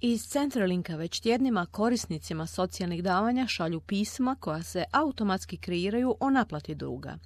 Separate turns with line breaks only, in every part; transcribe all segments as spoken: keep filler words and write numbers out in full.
Iz Centralinka već tjednima korisnicima socijalnih davanja šalju pisma koja se automatski kreiraju o naplati duga.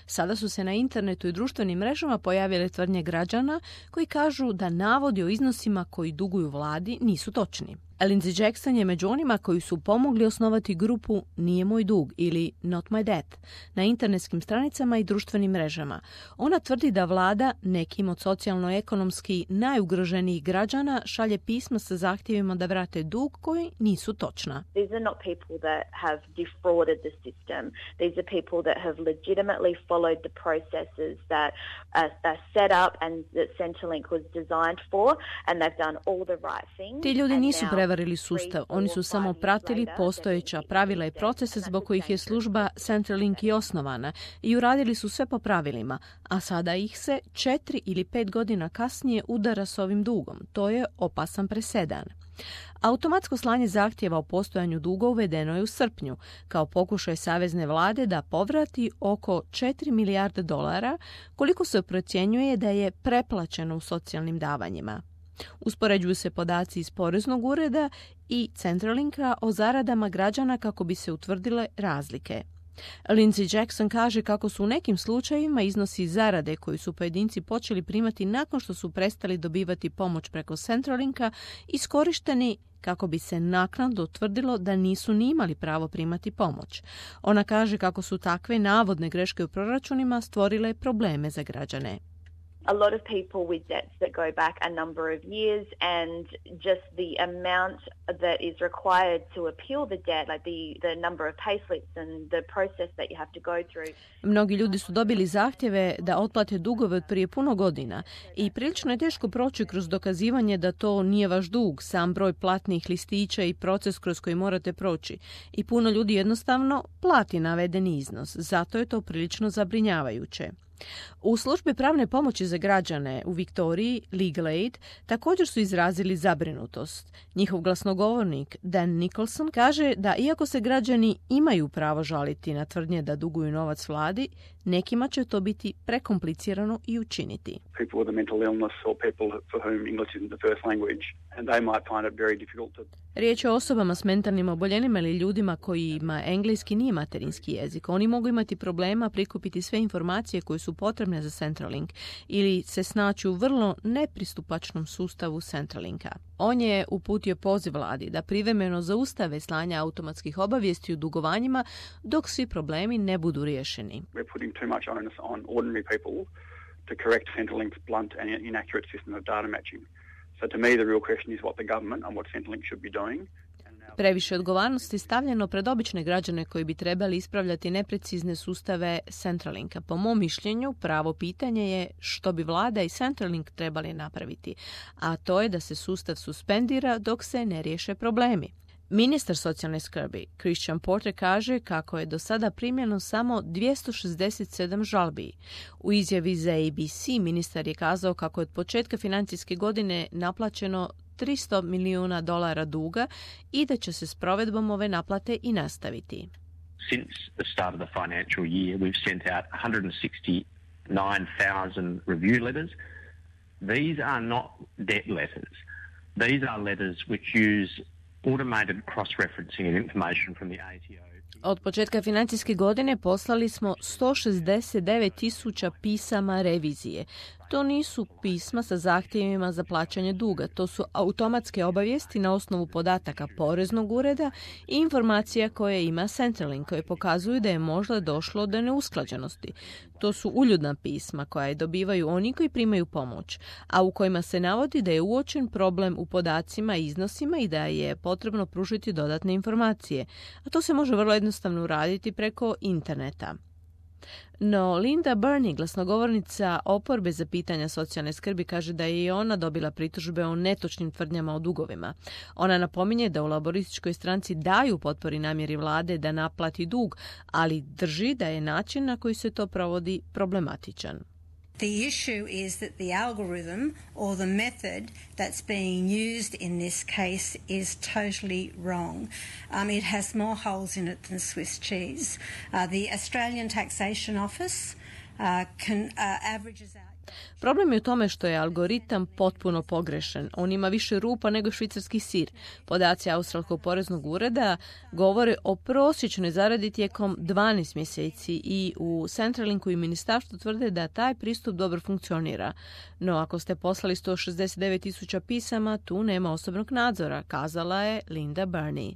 Sada su se na internetu i društvenim mrežama pojavile tvrdnje građana koji kažu da navodi o iznosima koji duguju vladi nisu točni. Lindsay Jackson je među onima koji su pomogli osnovati grupu Nije moj dug ili Not my debt na internetskim stranicama i društvenim mrežama. Ona tvrdi da vlada nekim od socijalno-ekonomski najugroženijih građana šalje pisma sa zahtjevima da vrate dug koji nisu točna.
These are not people that have defrauded the system. These are people that have legitimately followed the processes that are, are set up and that Centrelink was designed for, and they've done all the right things.
Ti ljudi nisu prevarili sustav, oni su samo pratili postojeća pravila i procese zbog kojih je služba Centrelink i osnovana i uradili su sve po pravilima, a sada ih se četiri ili pet godina kasnije udara s ovim dugom. To je opasan presedan. Automatsko slanje zahtjeva o postojanju duga uvedeno je u srpnju, kao pokušaj savezne vlade da povrati oko četiri milijarde dolara, koliko se procjenjuje da je preplaćeno u socijalnim davanjima. Uspoređuju se podaci iz Poreznog ureda i Centralinka o zaradama građana kako bi se utvrdile razlike. Lindsay Jackson kaže kako su u nekim slučajevima iznosi zarade koji su pojedinci počeli primati nakon što su prestali dobivati pomoć preko Centralinka iskorišteni kako bi se naknadno utvrdilo da nisu ni imali pravo primati pomoć. Ona kaže kako su takve navodne greške u proračunima stvorile probleme za građane.
A lot of people with debts that go back a number of years, and just the amount that is required to appeal the debt, like the, the number of payslips and the process that you have to go through.
Mnogi ljudi su dobili zahtjeve da otplate dugove od prije puno godina i prilično je teško proći kroz dokazivanje da to nije vaš dug, sam broj platnih listića i proces kroz koji morate proći. I puno ljudi jednostavno plati navedeni iznos, zato je to prilično zabrinjavajuće. U službi pravne pomoći za građane u Viktoriji, Legal Aid, također su izrazili zabrinutost. Njihov glasnogovornik Dan Nicholson kaže da iako se građani imaju pravo žaliti na tvrdnje da duguju novac vladi, nekima će to biti prekomplicirano i učiniti.
People with a mental illness or people for whom English isn't the first language, and they might find it very difficult to...
Riječ je o osobama s mentalnim oboljenjima ili ljudima kojima engleski nije materinski jezik. Oni mogu imati problema prikupiti sve informacije koje su potrebne za Centrelink ili se snaći u vrlo nepristupačnom sustavu Centralinka. On je uputio poziv vladi da privremeno zaustave slanje automatskih obavijesti o dugovanjima dok svi problemi ne budu riješeni.
We're putting too much onus on ordinary people to correct Centrelink's blunt and inaccurate system of data matching. So to me the real question is what the government and what Centrelink should be doing.
Previše odgovornosti stavljeno pred obične građane koji bi trebali ispravljati neprecizne sustave Centralinka. Po mom mišljenju, pravo pitanje je što bi vlada i Centrelink trebali napraviti, a to je da se sustav suspendira dok se ne riješe problemi. Ministar socijalne skrbi Christian Porter kaže kako je do sada primljeno samo dvjesto šezdeset sedam žalbi. U izjavi za A B C ministar je kazao kako je od početka financijske godine naplaćeno tristo milijuna dolara duga i da će se s provedbom ove naplate i nastaviti.
Since the start of the financial year, we've sent out one hundred sixty-nine thousand review letters. These are not debt letters. These are letters which use automated cross-referencing and information from the A T O.
Od početka financijske godine poslali smo sto šezdeset devet tisuća pisama revizije. To nisu pisma sa zahtjevima za plaćanje duga, to su automatske obavijesti na osnovu podataka Poreznog ureda i informacija koje ima Centrelink koje pokazuju da je možda došlo do neusklađenosti. To su uljudna pisma koja je dobivaju oni koji primaju pomoć, a u kojima se navodi da je uočen problem u podacima i iznosima i da je potrebno pružiti dodatne informacije, a to se može vrlo jednostavno uraditi preko interneta. No, Linda Burney, glasnogovornica oporbe za pitanja socijalne skrbi, kaže da je i ona dobila pritužbe o netočnim tvrdnjama o dugovima. Ona napominje da u laborističkoj stranci daju potpori namjeri vlade da naplati dug, ali drži da je način na koji se to provodi problematičan.
The issue is that the algorithm or the method that's being used in this case is totally wrong. Um, it has more holes in it than Swiss cheese. Uh, the Australian Taxation Office uh, can, uh, averages out...
Problem je u tome što je algoritam potpuno pogrešan. On ima više rupa nego švicarski sir. Podaci Australskog poreznog ureda govore o prosječnoj zaradi tijekom dvanaest mjeseci i u Centralinku i ministarstvu tvrde da taj pristup dobro funkcionira. No ako ste poslali sto šezdeset devet tisuća pisama, tu nema osobnog nadzora, kazala je Linda Burney.